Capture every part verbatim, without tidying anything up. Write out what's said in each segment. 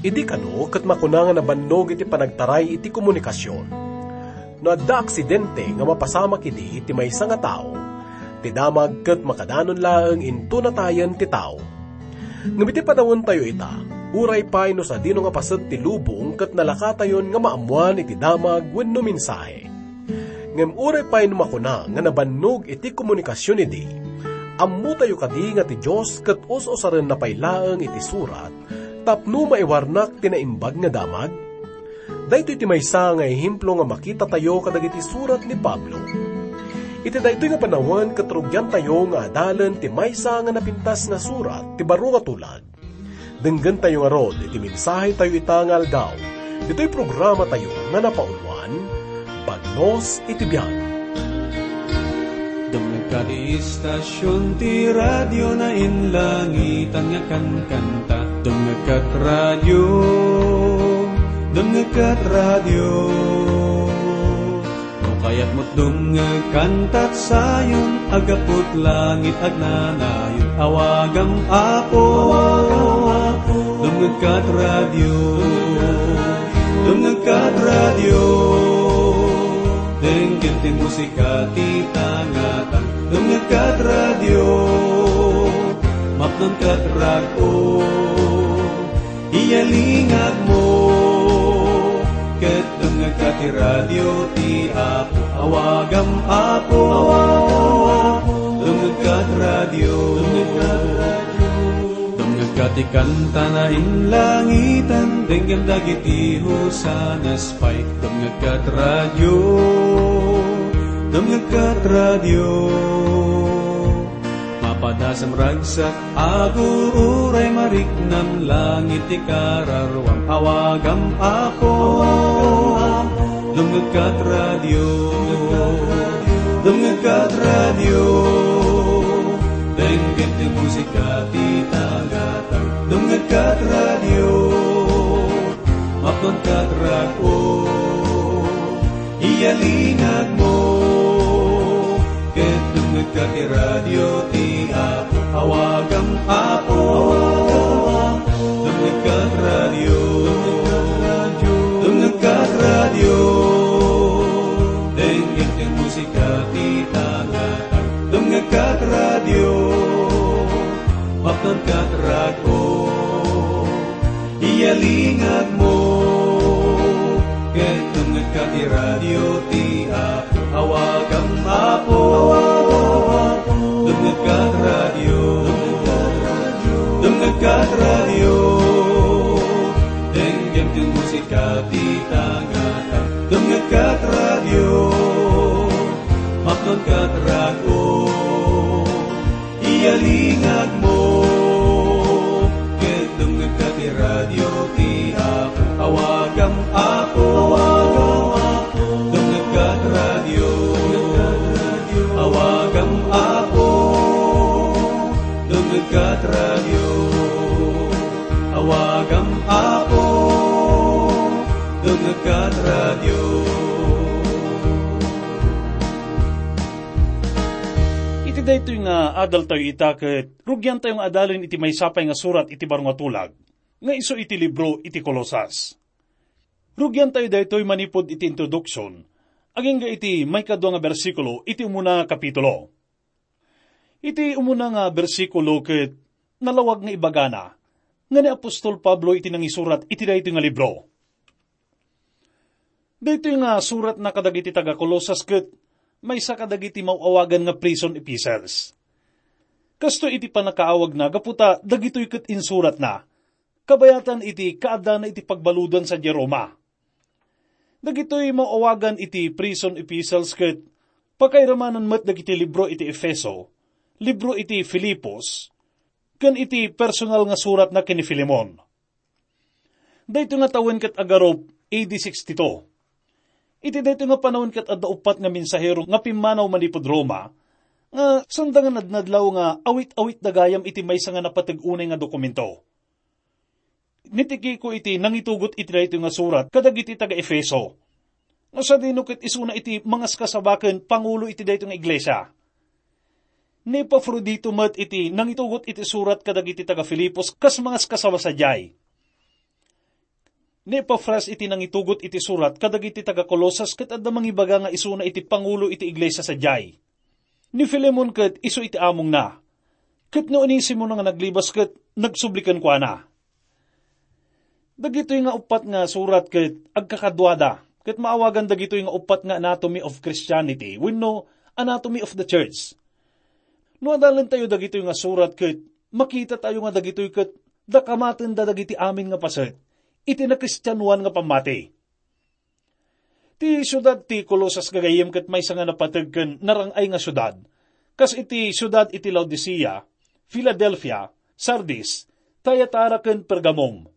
Idi kano ket makuna nga nabannog iti panagtaray iti komunikasion. No adda aksidente nga mapasamak idi ti maysa nga tao, ti damag ket makadanon laeng inton natayen ti tao. Ngem iti panawentayo ita, uray pay no sadino nga paset ti lubong ket nalakatayon nga maammoan iti damag wenno mensahe. Ngem uray pay no makuna nga nabannog iti komunikasion idi, ammotayo kadi nga ti Dios ket us-usarenna pay laeng iti surat tapno maiwarnak ti naimbag nga damag? Daytoy ti maysa nga ehemplo nga makitatayo kadagiti surat ni Pablo. Iti daytoy nga panawen ket rugiantayo nga adalen ti maysa nga napintas nga surat ti baro nga tulag. Denggentayo ngarud iti mensahetayo ita nga aldaw. Ditoy programatayo nga napauluan, Bagnos iti Biag. Dumngegka ti istasion ti radio na inlangitan nga kankanta. Dumngegka ti radio, dumngegka ti radio. No kayatmo dumngeg kantat sayon, aggapu ti langit agnanayon. Awagam, Apo, dumngegka ti radio, dumngegka ti radio. Denggem ti musika ti tangatang, dumngegka ti radio, mapnonka ti rag-o. Iyalingagmo, ket dumngegka ti radio ti Apo. Awagam, Apo, dumngegka ti radio. Dumngegka ti kanta na inlangitan, denggem dagiti hosanas pay. Dumngegka ti radio, dumngegka ti radio. Mapadasam ragsak, aguray mariknam, langit ti kararuam. Awagam, Apo, dumngegka ti radio, dumngegka ti radio. Denggem ti musika ti tangatang, dumngegka ti radio, mapnonka ti rag-o. Iyalingagmo, ket dumngegka ti radio ti Apo. Awagam, Apo, dumngegka ti radio, dumngegka ti radio. Denggem ti musika ti tangatang, dumngegka ti radio, mapnonka ti rag-o. Iyalingagmo, ket dumngegka ti radio ti Apo. Awagam, Apo, dumngegka ti radio, dumngegka ti radio. Denggem ti musika ti tangatang, dumngegka ti radio, mapnonka ti rag-o. Iyalingagmo, ket dumngegka ti radio ti Apo. Awagam, Apo, dumngegka ti radio. Awagam, Apo, dumngegka ti radio. Awagam, Apo, dumngegka ti radio. Iti daytoy nga adaltayo ita ket rugiantayo nga adalen iti maysa pay nga surat iti baro nga tulag, nga isu iti libro iti Colosas. Rugiantayo daytoy manipud iti introduksion, agingga iti maikadua nga bersikulo iti umuna nga kapitulo. Iti umuna nga bersikulo ket nalawag nga ibagana nga ni apostol Pablo iti nangisurat iti daytoy nga libro. Daytoy nga suratna kadagiti taga-Colosas ket maysa kadagiti maw-awagan nga prison epistles. Kastoy iti pannakaawagna gapu ta dagitoy ket insuratna kabayatan iti kaaddana iti pagbaludan sadiay Roma. Dagitoy maw-awagan iti prison epistles ket pakairamanan met dagiti libro iti Efeso, libro iti Filipos, ken iti personal nga suratna ken ni Filemon. Daytoy nga tawen ket agarup A D sixty-two. Iti daytoy nga panawen ket adda uppat nga mensahero nga pimmanaw manipud Roma, nga sanda nga nadnadlaw nga awit-awitda gayam iti maysa nga napateg unay nga dokumento. Ni Tiquico iti nangitugot iti daytoy nga surat kadagiti taga-Efeso. No sadino ket isuna iti mangaskasaba ken pangulo iti daytoy nga iglesia. Ni Epafrodito met iti nangitugot iti surat kadagiti taga-Filipos kas mangaskasaba sadiay. Ni Epafras iti nangitugot iti surat kadagiti taga-Colosas ket adda mangibaga nga isuna iti pangulo iti iglesia sadiay. Ni Filemon ket isu iti amongna. Ket ni Onesimo nga naglibas ket nagsubli kenkuana. Dagitoy nga uppat nga surat ket agkakaduada, ket maawagan dagitoy nga uppat nga anatomy of Christianity wenno anatomy of the church. No adalentayo dagitoy nga surat ket makitatayo nga dagitoy ket dakamatenda dagiti amin nga paset iti nakristianoan nga pammati. Ti siudad ti Colosas gagayyem ket maysa nga napateg ken narang-ay nga siudad, kas iti siudad iti Laodicea, Filadelfia, Sardis, Thyatira ken Pergamum.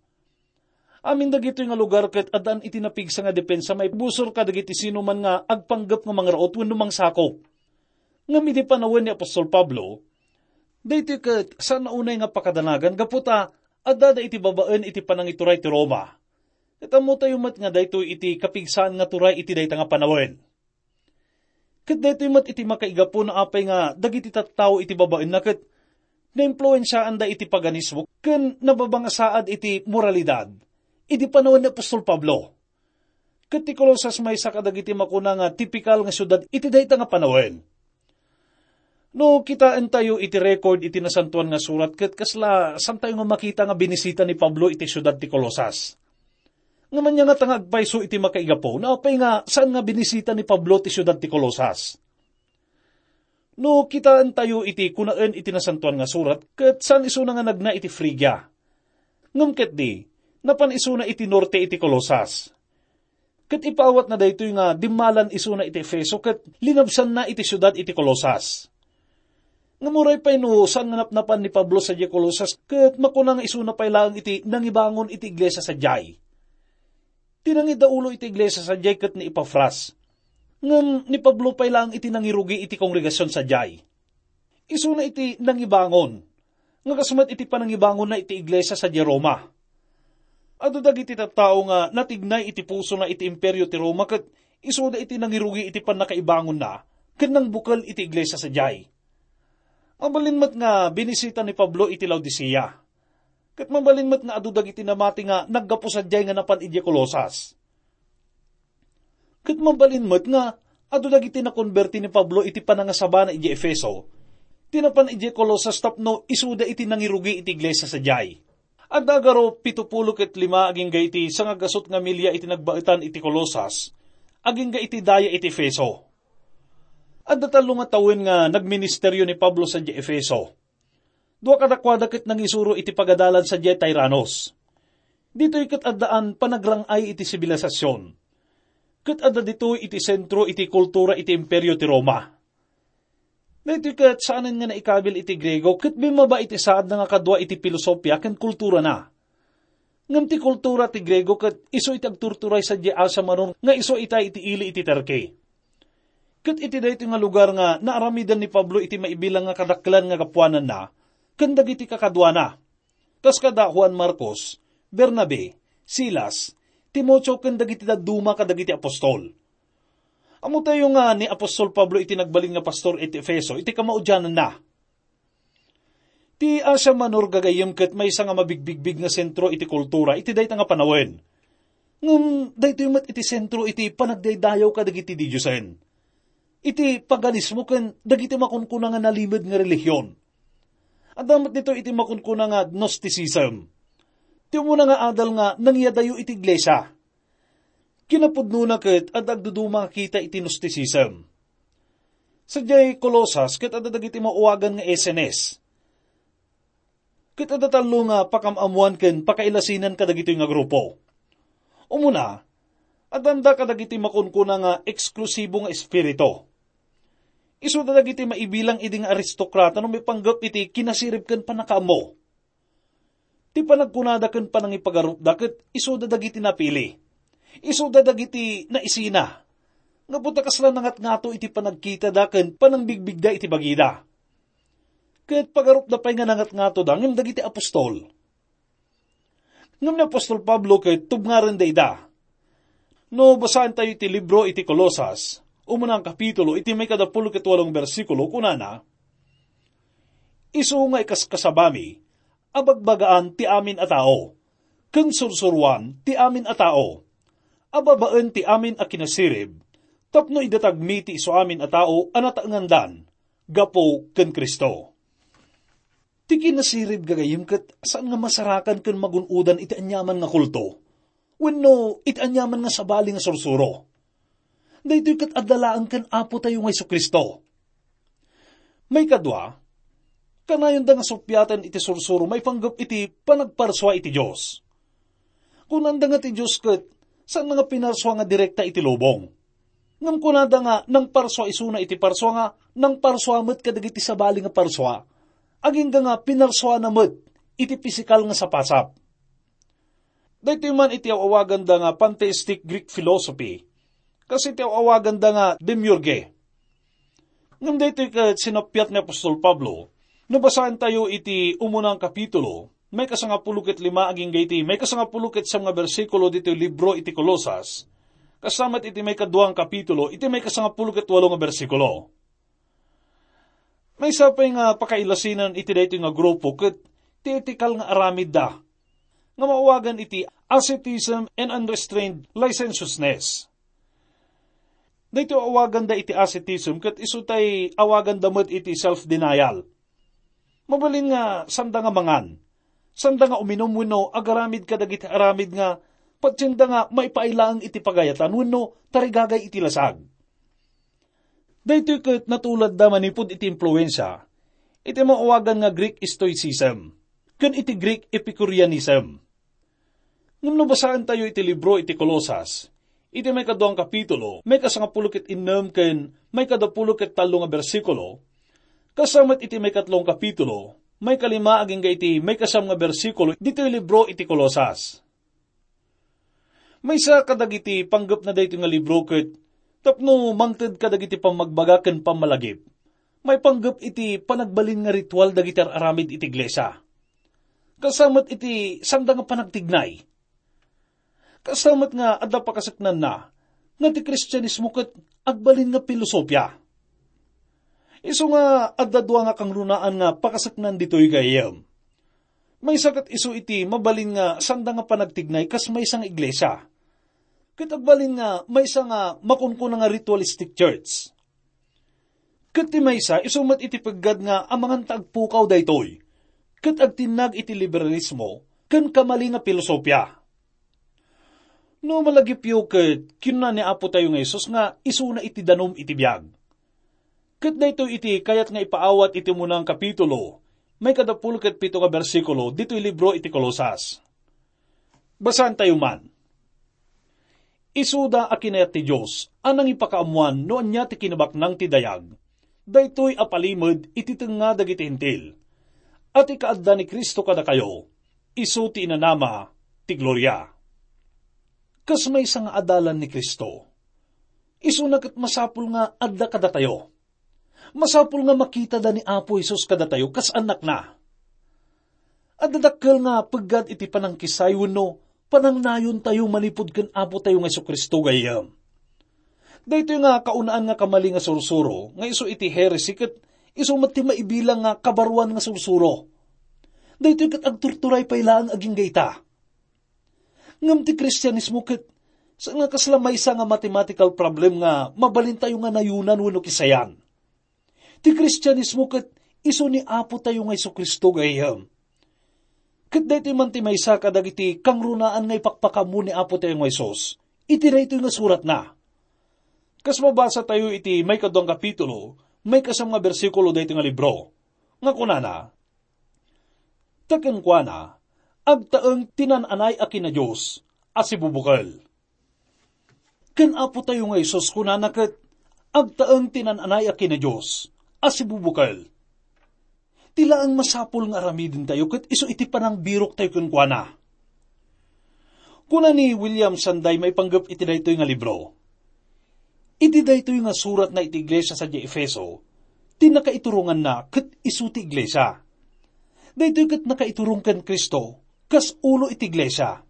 Amin dagitoy nga lugar ket addaan iti napigsa nga depensa maibusor kadagiti sinuman nga agpanggep nga mangraut wenno mangsakop. Ngem idi panawen ni apostol Pablo, daytoy ket saan a unay nga pakadanagan gapu ta addada iti babaen iti panangituray ti Roma. Ket ammotayo met nga daytoy iti kapigsaan nga turay iti dayta nga panawen. Ket daytoy met iti makaigapu no apay nga dagiti tattao iti babaenna ket naimpluensiaanda iti paganismo ken nababangasaad iti moralidad idi panawen ni apostol Pablo. Ket ti Colosas maysa kadagiti makuna nga tipikal nga siudad iti dayta nga panawen. No kitaentayo iti record iti Nasantoan nga Surat, ket kasla saantayo nga makita nga binisita ni Pablo iti siudad ti Colosas. Ngem ania ngata nga agpayso iti makaigapu no apay nga saan nga binisita ni Pablo ti siudad ti Colosas? No kitaentayo iti kunaen iti Nasantoan nga Surat, ket saan isuna nga nagna iti Frigia. Ngem ketdi, napan isuna iti norte iti Colosas. Ket ipaawatna daytoy nga dimmalan isuna iti Efeso ket linabsanna iti siudad iti Colosas. Ngem uray pay no saan nga napnapan ni Pablo sadiay Colosas ket makuna nga isuna pay laeng iti nangibangon iti iglesia sadiay. Ti nangidaulo iti iglesia sadiay ket ni Epafras. Ngem ni Pablo pay laeng iti nangirugi iti kongregasion sadiay. Isuna iti nangibangon, nga kas met iti panangibangonna iti iglesia sadiay Roma. Adu dagiti tattao nga natignay iti pusona iti Imperio ti Roma ket isuda iti nangirugi iti pannakaibangonna ken nangbukel iti iglesia sadiay. Mabalin met nga binisita ni Pablo iti Laodicea. Ket mabalin met nga adu dagiti namati nga naggapu sadiay nga napan idiay Colosas. Ket mabalin met nga adu dagiti nakonberti ni Pablo iti panangasabana idiay Efeso, ti napan idiay Colosas tapno isuda iti nangirugi iti iglesia sadiay. Adda garo pito pulo ket lima agingga iti sangagasut nga milia iti nagbaetan iti Colosas, agingga iti daya iti Efeso. Adda tallo nga tawen nga nagministerio ni Pablo sadiay Efeso. Dua kadakuada ket nangisuro iti pagadalan sadiay Tiranos. Ditoy ket addaan panagrang-ay iti sibilisasyon. Ket adda ditoy iti sentro iti kultura iti Imperio ti Roma. Daytoy ket saanen nga naikabil iti Griego ket bimmaba iti saadna nga kadua iti pilosopia ken kulturana. Ngem ti kultura ti Griego ket isu iti agturturay sadiay Asia Minor nga isu ita iti ili iti Turkey. Ket iti daytoy nga lugar nga naaramidan ni Pablo iti maibilang nga kadakkelan nga gapuananna ken dagiti kakaduana, kas kada Juan Marcos, Bernabe, Silas, Timoteo ken dagiti dadduma kadagiti apostol. Ammotayo nga ni apostol Pablo iti nagbalin nga pastor iti Efeso iti kamaudiananna. Ti Asia Minor gagayyem ket maysa nga mabigbigbig nga sentro iti kultura iti dayta nga panawen. Ngem daytoy met iti sentro iti panagdaydayaw kadagiti didiosen. Iti paganismo ken dagiti makunkuna nga nalimed nga relihion. Adda met ditoy iti makunkuna nga Gnosticism. Ti umuna nga adal nga nangyadayo iti iglesia. Kinapudnona ket adda agduduma nga kita iti Gnosticism. Sadiay Colosas ket adda dagiti maawagan nga Essenes. Ket adda tallo nga pakam-ammoan ken pakailasinan kadagitoy nga grupo. Umuna, addanda kadagiti makunkuna nga eksklusibo nga espiritu. Isuda dagiti maibilang idi nga aristokrata no maipanggep iti kinasirib ken pannakaammo. Ti panagkunada ken panangipagarupda ket isuda dagiti napili. Isuda dagiti naisina. Gapu ta kasla nangatngato iti panagkitada ken panangbigbigda iti bagida. Ket pagarupda pay nga nangatngatoda ngem dagiti apostol. Ngem ni apostol Pablo ket tubngarenda ida. No basaentayo iti libro iti Colosas, umuna nga kapitulo, iti maikadapulo ket walong bersikulo, kunana, "Isu nga ikaskasabami, abagbagaan ti amin a tao, ken sursuroan ti amin a tao, a babaen ti amin a kinasirib, tapno idatagmi ti isuamin a tao a nataengandan gapu ken Cristo. Ti kinasirib, gagayyem, ket saan nga masarakan ken magun-odan iti aniaman nga kulto wenno iti aniaman nga sabali nga sursuro. Daytoy ket adda laeng ken Apotayo nga Jesu-Cristo. Maikadua, kanayonda nga suppiaten iti sursuro maipanggep iti panagparsua iti Dios. Kunanda nga ti Dios ket saan nga pinarsua nga direkta iti lubong. Ngem kunada nga nangparsua isuna iti parsua nga nangparsua met kadagiti sabali nga parsua, agingga nga pinarsuana met iti pisikal nga sapasap. Daytoy man iti aw-awaganda nga pantheistic Greek philosophy, kas iti aw-awaganda nga demiurge. Ngem daytoy ket sinappiat ni apostol Pablo, no basaentayo iti umunang kapitulo, maikasangapulo ket lima agingga iti maikasangapulo ket siam nga bersikulo ditoy libro iti Colosas, kasta met iti maikaduang kapitulo, iti maikasangapulo ket walo nga bersikulo. Maysa pay nga pakailasinen iti daytoy nga grupo ket ti etikal nga aramidda, nga maawagan iti asceticism and unrestrained licentiousness. Daytoy awaganda iti asceticism ket isu tay awaganda met iti self-denial. Mabalin nga sanda nga mangan, sanda nga uminum wenno agaramid kadagiti aramid nga patienda nga maipaay laeng iti pagayatan wenno tarigagay iti lasag. Daytoy ket natuladda manipud iti impluensia iti maawagan nga Greek Stoicism ken iti Greek Epicureanism. Ngem no basaentayo iti libro iti Colosas, iti maikaduang kapitulo, maikasangapulo ket innem ken maikadapulo ket tallo nga bersikulo, kasta met iti maikatlong kapitulo, maikalima agingga iti maikasiam nga bersikulo ditoy libro iti Colosas. Maysa kadagiti panggepna daytoy nga libro ket tapno mangted kadagiti pammagbaga ken pammalagip maipanggep iti panagbalin nga ritual dagiti ar-aramid iti iglesia. Kasta met iti sanda nga panagtignay. Kasta met nga adda pakasaknanna nga ti Kristianismo ket agbalin nga pilosopia. Isu nga adda dua nga kangrunaan nga pakasaknan ditoy gayyem. Maysa ket isu iti mabalin nga sanda nga panagtignay kas maysa nga iglesia. Ket agbalin nga maysa nga makunkuna nga ritualistic church. Ket ti maysa, isu met iti peggad nga amangan ta agpukaw daytoy, ket agtinnag iti liberalismo ken kamali nga pilosopia. No malagipyo ket kinuna ni Apotayo nga Jesus nga isuna iti danum iti biag. Ket daytoy iti kayat nga ipaawat iti umunang kapitulo, maikadapulo ket pito nga bersikulo ditoy libro iti Colosas. Basaentayo man. Isuda a kinayat ti Dios a nangipakaammoan no ania ti kinabaknang ti dayag, daytoy a palimed iti tengnga dagiti Hentil, a ti kaadda ni Cristo kadakayo, isu ti inanama ti gloria. Kas maysa nga adalan ni Cristo, isuna ket masapul nga adda kadatayo. Masapul nga makitada ni Apo Jesus kadatayo kas annakna. Adda dakkel nga peggad iti panangkisay wenno panangnayontayo manipud ken Apotayo nga Jesu-Cristo gayyem. Daytoy nga kaunaan nga kamali nga sursuro nga isu iti heresy ket isu met ti maibilang nga kabaruan nga sursuro. Daytoy ket agturturay pay laeng agingga ita. Ngem ti Kristianismo ket saan nga kasla maysa nga mathematical problem nga mabalintayo nga nayonan wenno kisayan. Ti Kristianismo ket isu ni Apotayo nga Jesu-Cristo gayyem. Ket daytoy man ti maysa kadagiti kangrunaan nga ipakpakaammo ni Apotayo nga Jesus iti daytoy nga suratna. Kas mabasatayo iti maikaduang kapitulo, maikasiam nga bersikulo daytoy nga libro, nga kunana, Ta kenkuana, agtaeng ti naan-anay a kinadios a sibubukel. Ken Apotayo nga Jesus kunana ket, agtaeng ti naan-anay a kinadios a sibubukel. Ti laeng masapul nga aramidentayo ket isu iti panangbiroktayo kenkuana. Kuna ni William Sanday maipanggep iti daytoy nga libro, Iti daytoy nga suratna iti iglesia sadiay Efeso, ti nakaituronganna ket isu ti iglesia. Daytoy ket nakaiturong ken Cristo kas ulo iti iglesia.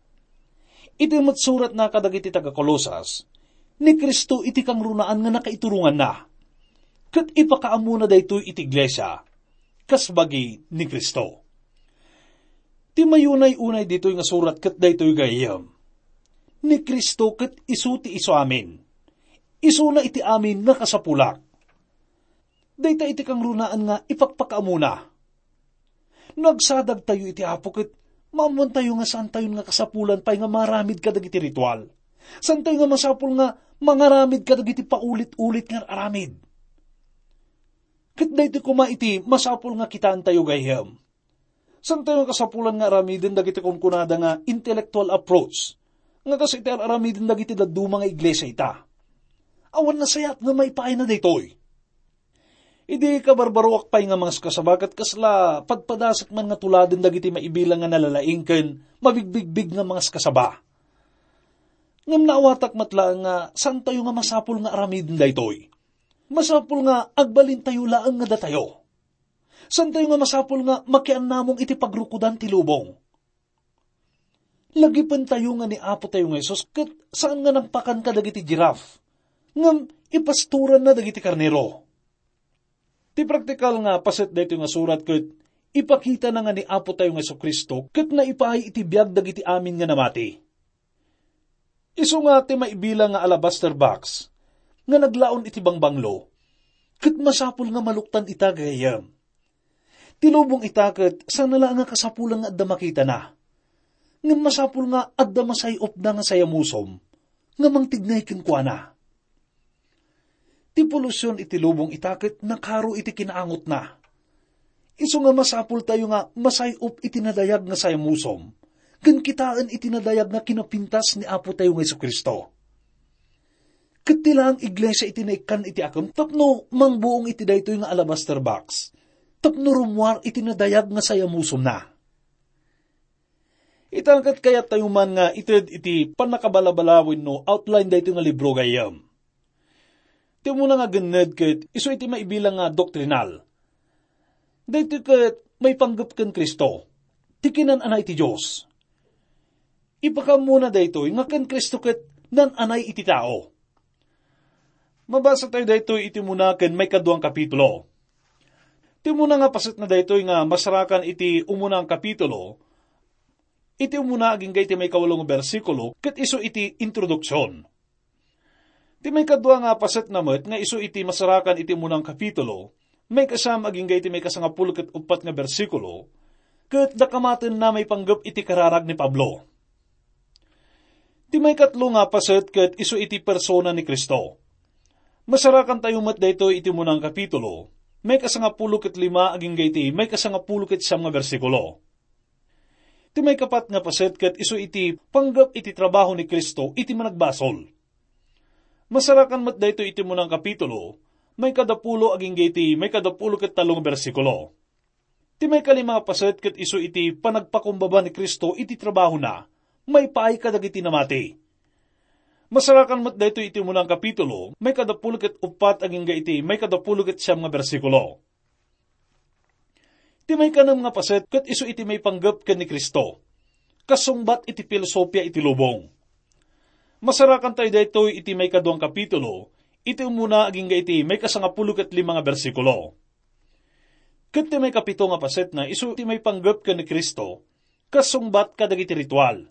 Iti met suratna kadagiti taga-Colosas, ni Cristo iti kangrunaan nga nakaituronganna, ket ipakaammona daytoy iti iglesia kas bagi ni Cristo. Ti mayunay-unay ditoy nga surat ket daytoy gayyem: Ni Cristo ket isu ti isuamin. Isuna iti amin nga kasapulak. Dayta iti kangrunaan nga ipakpakaamuna. No agsadagtayo iti Apo ket maammoantayo nga saantayon nga kasapulan pay nga mangaramid kadagiti ritual. Saantayo nga masapul nga mangaramid kadagiti paulit-ulit nga aramid. Ket daytoy koma iti masapul nga kitaentayo gayyem. Saantayo nga kasapulan nga aramiden dagiti kunkunada nga intellectual approach, nga kas iti ar-aramiden dagiti dadduma nga iglesia ita. Awan nasayaat nga maipaayna daytoy. Idi kabarbaroak pay nga mangaskasaba ket kasla padpadasek man nga tuladen dagiti maibilang nga nalalaing ken mabigbigbig nga mangaskasaba. Ngem naawatak met laeng nga saantayo nga masapul nga aramiden daytoy. Masapul nga agbalintayo laeng nga datayo. Saantayo nga masapul nga makiannamong iti pagrukodan ti lubong. Lagipentayo nga ni Apo tayo nga Jesus ket saan nga nangpakan kadagiti giraffe, ngem ipastoranna dagiti karnero. Ti praktikal nga paset daytoy nga surat ket ipakitana nga ni Apo tayo nga Jesu-Cristo ket naipaay iti biag dagiti amin nga namati. Isu nga ti maibilang nga alabaster box nga naglaon iti bangbanglo, ket masapul nga maluktan ita gayyem. Ti lubong ita ket saan la nga kasapulan nga adda makitana. Ngem masapul nga adda masay-opna nga sayamusom nga mangtignay kenkuana. Ti polusion iti lubong ita ket nakaro iti kinaangotna. Isu nga masapultayo nga masay-op iti nadayag nga sayamusom, ken kitaen iti nadayag nga kinapintas ni Apo tayo nga Jesu-Cristo. Ket ti laeng iglesia iti naikkan iti akem tapno mangbuong iti daytoy nga alabaster box, tapno rummuar iti nadayag nga sayamusomna. Ita ket kayattayo man nga ited iti pannakabalabalaw wenno outline daytoy nga libro gayyem. Ti umuna nga genned ket isu iti maibilang nga doktrinal. Daytoy ket maipanggep ken Cristo, ti kinan-anay ti Dios. Ipakaammona daytoy nga ken Cristo ket nan-anay iti tao. Mabasa tayo daytoy iti umuna ken maikaduang kapitulo. Ti umuna nga paset na daytoy nga masarakan iti umuna nga kapitulo, iti umuna agingga iti maikawalo nga bersikulo, ket isu iti introduksion. Ti maikadua nga paset na met nga isu iti masarakan iti umuna nga kapitulo, maikasam agingga iti maikasangapulo ket uppat nga bersikulo, ket dakamatenna maipanggep iti kararag ni Pablo. Ti maikatlo nga paset ket isu iti persona ni Cristo. Masarakan tayo met daytoy iti umuna nga kapitulo, maikasangapulo ket lima agingga iti maikasangapulo ket siam nga bersikulo. Ti maikapat nga paset ket isu iti panggep iti trabaho ni Cristo iti managbasol. Masarakan met daytoy iti umuna nga kapitulo, maikadapulo agingga iti maikadapulo ket tallo nga bersikulo. Ti maikalima nga paset ket isu iti panagpakumbaba ni Cristo iti trabahona maipaay kadagiti namati. Masarakan met daytoy iti umuna nga kapitulo, maikadapulo ket uppat agingga iti maikadapulo ket siam nga bersikulo. Ti maikanem nga paset ket isu iti maipanggep ken ni Cristo, kasungbat iti filosofia iti lubong. Masarakan tayo daytoy iti maikadua nga kapitulo, iti umuna agingga iti maikasangapulo ket lima nga bersikulo. Ket ti maikapito nga paset na isu ti maipanggep ken ni Cristo, kasungbat kadagiti ritual.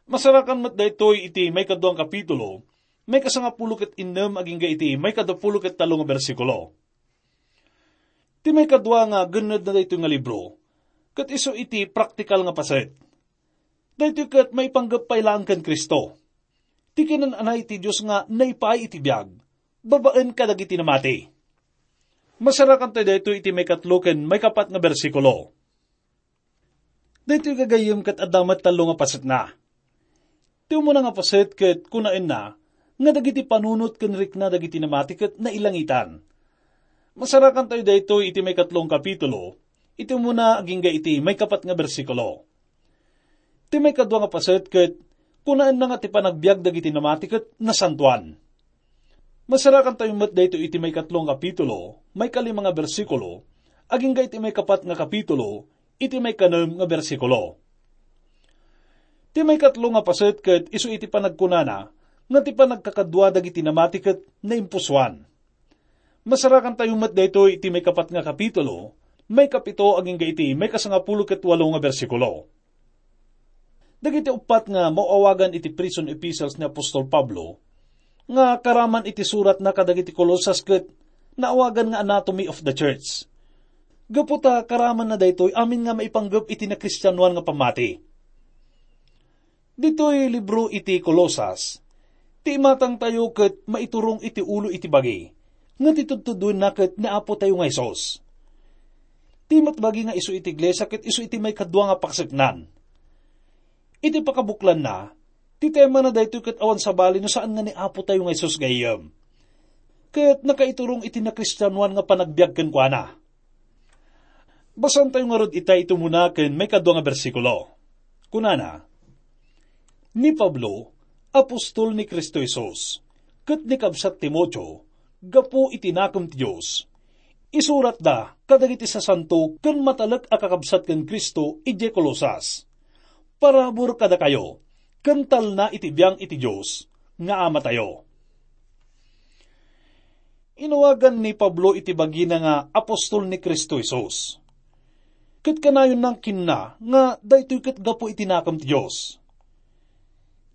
Masarakan met daytoy iti maikadua nga kapitulo, maikasangapulo ket innem agingga iti maikadapulo ket tallo nga bersikulo. Ti maikadua nga genned na daytoy nga libro, ket isu iti praktikal nga paset. Daytoy ket maipanggep pay laeng ken Cristo, ti kinan-anay ti Dios nga naipaay iti biag, babaen kadagiti namati. Masarakan tayo daytoy iti maikatlo ken maikapat nga bersikulo. Daytoy gagayyem ket adda met tallo nga pasetna. Ti umuna nga paset ket kunaenna nga dagiti panunot ken rikna dagiti namati ket nailangitan. Masarakan tayo daytoy iti maikatlo nga kapitulo, iti umuna agingga iti maikapat nga bersikulo. Ti maikadua nga paset ket kunaenna nga ti panagbiag dagiti namati ket nasantoan. Masarakan tayo met daytoy iti maikatlo nga kapitulo, maikalima nga bersikulo, agingga iti maikapat nga kapitulo, iti maikanem nga bersikulo. Ti maikatlo nga paset ket isu iti panagkunana nga ti panagkakadua dagiti namati ket naimpusoan. Masarakan tayo met daytoy iti maikapat nga kapitulo, maikapito agingga iti maikasangapulo ket walo nga bersikulo. Dagiti uppat nga maawagan iti prison epistles ni apostol Pablo nga karaman iti suratna kadagiti Colosas ket naawagan nga anatomy of the church. Gapu ta karamanna daytoy amin nga maipanggep iti nakristianoan nga pammati. Ditoy libro iti Colosas, ti imatangtayo ket maiturong iti ulo iti bagi, nga ti tudtuduenna ket ni Apotayo nga Jesus. Ti met bagi nga isu iti iglesia ket isu iti maikadua nga pakaseknan. Iti pakabuklanna, ti temana daytoy ket awan sabali no saan nga ni Apotayo nga Jesus gayyem. Ket nakaiturong iti nakristianoan nga panagbiag kenkuana. Basaentayo ngarud ita iti umuna ken maikadua nga bersikulo. Kunana, "Ni Pablo, apostol ni Cristo Jesus, ket ni kabsat Timoteo, gapu iti nakem ti Dios, isuratda kadagiti sasanto ken matalek a kakabsat ken Cristo idiay Colosas. Parabur kadakayo, ken talna iti biang iti Dios nga Amatayo." Inawagan ni Pablo iti bagina nga apostol ni Cristo Jesus. Ket kanayon nangkinna nga daytoy ket gapu iti nakem ti Dios.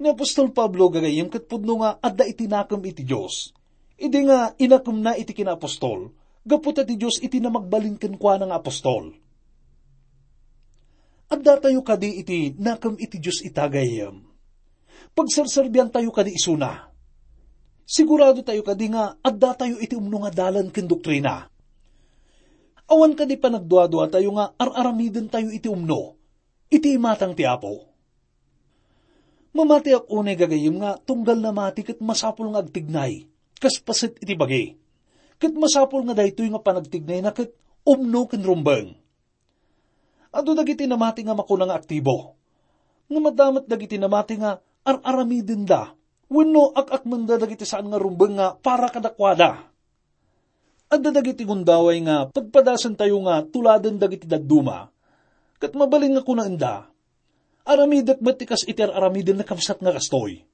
Ni apostol Pablo gagayyem ket pudno nga adda iti nakem iti Dios. Idi nga inakemna iti kinaapostol, gapu ta ti Dios iti namagbalin kenkuana nga apostol. Addatayo kadi iti nakem iti Dios ita gayyem? Pagserserbiantayo kadi isuna? Siguradotayo kadi nga addatayo iti umno nga dalan ken doktrina? Awan kadi panagduaduatayo nga ar-aramidentayo iti umno, iti imatang ti Apo? Mamatiak unay gagayyem nga tunggal namati ket masapul nga agtignay, kas paset iti bagi. Ket masapul nga daytoy nga panagtignayna ket umno ken rumbeng. Adu dagiti namati nga makuna nga aktibo. Ngem adda met dagiti namati nga ar-aramidenda wenno ak-akmenda dagiti saan nga rumbeng nga para kadakuada. Adda dagiti gundaway nga pagpadasentayo nga tuladen dagiti dadduma, ket mabalin nga kunaenda, "Aramidek met ti kas iti ar-aramiden ni kabsat nga kastoy."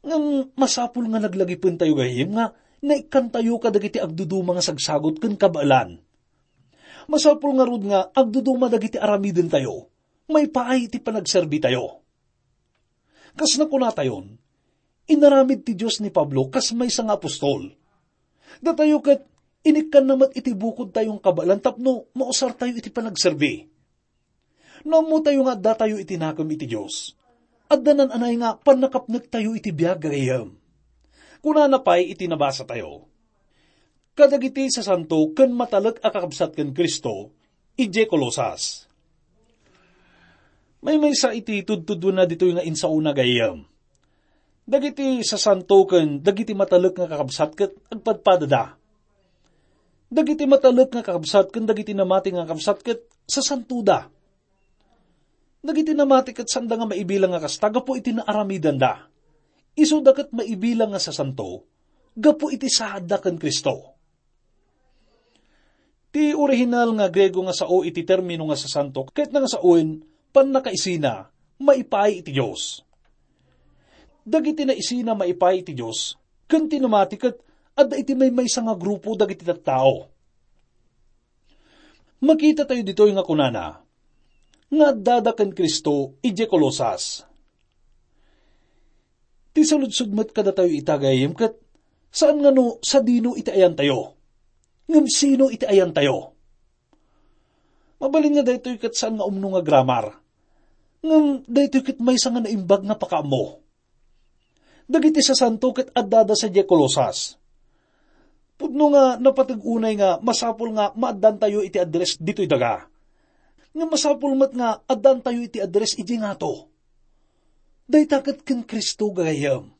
Ngem masapul nga laglagipentayo gayam nga naikkantayo kadagiti agduduma nga sagsagut ken kabaelan. Masapul ngarud nga agduduma dagiti aramidentayo maipaay iti panagserbitayo. Kas nakunatayon, inaramid ti Dios ni Pablo kas maysa nga apostol. Datayo ket inikkanna met iti bukodtayo nga kabaelan tapno mausartayo iti panagserbi. No ammotayo nga addatayo iti nakem iti Dios, adda naan-anay nga pannakapnektayo iti biag a gayyem. Kunana pay iti nabasatayo, "Kadagiti sasanto ken matalek a kakabsat ken Cristo, idiay Colosas." Maymaysa iti tudtuduenna ditoy nga insaona gayyem. Dagiti sasanto ken dagiti matalek nga kakabsat ket agpadpadada. Dagiti matalek nga kakabsat ken dagiti namati nga kakabsat ket sasantoda. Dagiti namati ket saanda nga maibilang nga kasta gapu iti naaramidanda. Isuda ket maibilang nga sasanto gapu iti saadda ken Cristo. Ti orihinal nga Griego nga sao iti termino nga sasanto ket nga saoen pannakaisina maipaay iti Dios. Dagiti naisina maipaay iti Dios ken ti namati ket adda iti maymaysa nga grupo dagiti tattao. Makitatayo ditoy nga kunana nga addada ken Cristo idiay Colosas. Ti saludsod met kadatayo ita gayyem ket saan nga no sadino iti ayantayo, ngem sino iti ayantayo. Mabalin nga daytoy ket saan nga umno nga grammar, ngem daytoy ket maysa nga naimbag nga pakaammo. Dagiti sasanto ket addada sadiay Colosas. Pudno nga napateg unay nga masapul nga maaddantayo iti address ditoy daga. Nga masapul met nga addantayo iti address idiay ngato. Dayta ket ken Cristo gagayyem.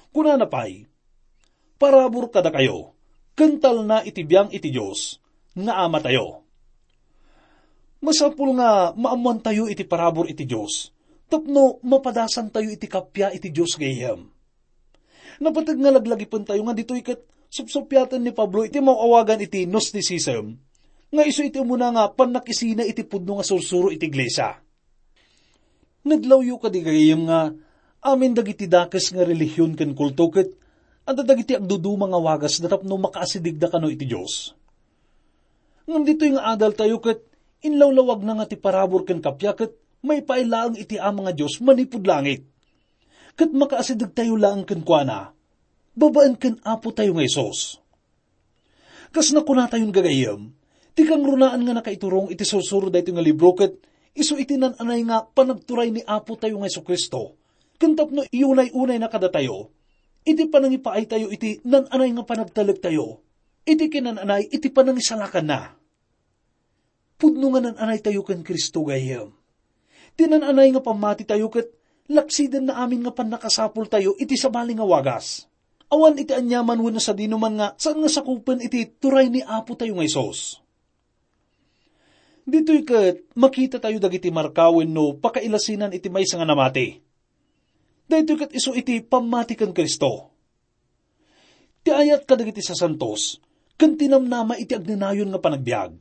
Kunana pay, "Parabur kadakayo, ken talna iti biang iti Dios nga Amatayo." Masapul nga maammoantayo iti parabur iti Dios tapno mapadasantayo iti kappia iti Dios gayyem. Napateg nga laglagipentayo nga ditoy ket supsuppiaten ni Pablo iti maawagan iti Gnosticism, nga isu iti umuna nga pannakisina iti pudno nga sursuro iti iglesia. Nadlawyo kadi gagayyem nga amin dagiti dakes nga relihion ken kulto ket adda dagiti agduduma nga wagasda tapno makaasidegda kano iti Dios. Ngem ditoy nga adaltayo ket inlawlawagna nga ti parabur ken kappia ket maipaay laeng iti Ama nga Dios manipud langit. Ket makaasidegtayo laeng kenkuana babaen ken Apotayo nga Jesus. Kas nakunatayon, gagayyem, ti kangrunaan nga nakaiturong iti sursuro daytoy nga libro ket isu iti nan-anay nga panagturay ni Apotayo nga Jesu-Cristo, ken tapno iyunay-unayna kadatayo iti panangipaaytayo iti nan-anay nga panagtalektayo iti kinan-anay iti panangisalakanna. Pudno nga nan-anaytayo ken Cristo, gayyem. Ti nan-anay nga pammatitayo ket laksidenna amin nga pannakasapultayo iti sabali nga wagas. Awan iti aniaman wenno sadinoman nga saan nga sakupen iti turay ni Apotayo nga Jesus. Ditoy ket makitatayo dagiti marka wenno pakailasinan iti maysa nga namati. Daytoy ket isu iti pammati ken Cristo. Ti ayat kadagiti sasantos ken ti namnama iti agnenayon nga panagbiag.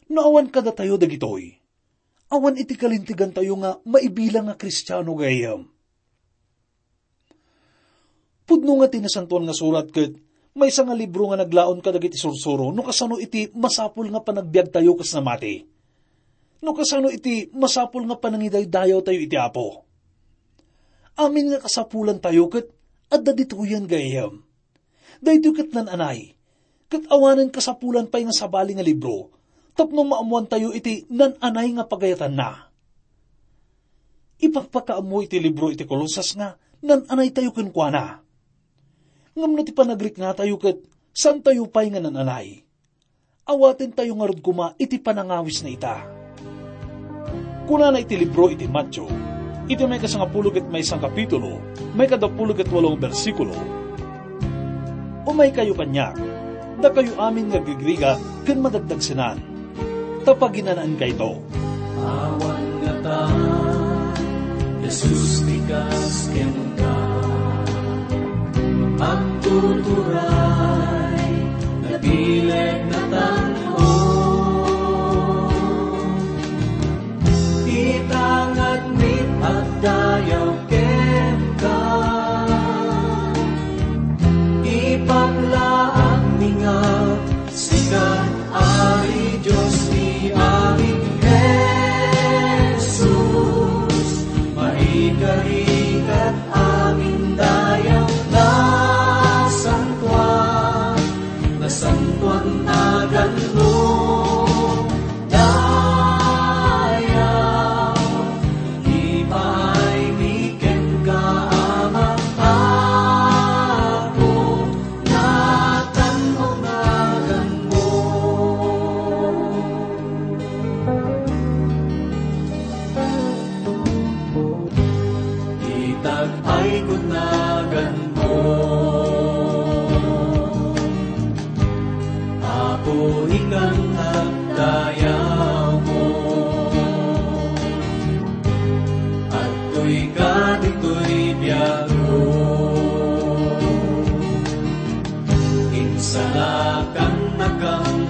No awan kadatayo dagitoy, awan iti kalintegantayo nga maibilang nga Kristiano, gayyem. Pudno nga ti Nasantoan nga Surat ket maysa nga libro nga naglaon kadagiti sursuro no kasano iti masapul nga panagbiagtayo kas namati. No kasano iti masapul nga panangidaydayawtayo iti Apo. Amin nga kasapulantayo ket adda ditoyen, gayyem. Daytoy ket nan-anay, ket awanen kasapulan pay nga sabali nga libro tapno maammoantayo iti nan-anay nga pagayatanna. Ipakpakaammo iti libro iti Colosas nga nan-anaytayo kenkuana. Ngem no ti panagriknatayo ket saantayo pay nga nan-anay, awatentayo ngarud koma iti panangawisna ita. Kunana iti libro iti Mateo, iti maikasangapulo ket maysa a kapitulo, maikadapulo ket walo a bersikulo, "Umaykayo kaniak, dakayo amin nga agrigrigat ken madagdagsenan, ta paginanaenkayto." Awan ngata, Jesus, ti kas kenka, agtuturay, nabileg, natanong. Ita nga agdayaw kenka, ipaglaak mi nga sika, Ari Dios ti amin, Jesus, maikarigat amin dayaw nasantoan, nasantoan naganmo. Dayaw, ipaaymi kenka, Ama, Apo, natanmo naganmo. Itagpayko naganmo. Apo, ikan agdayawko. Adtoy ka ditoy biagko. Insalakan nakam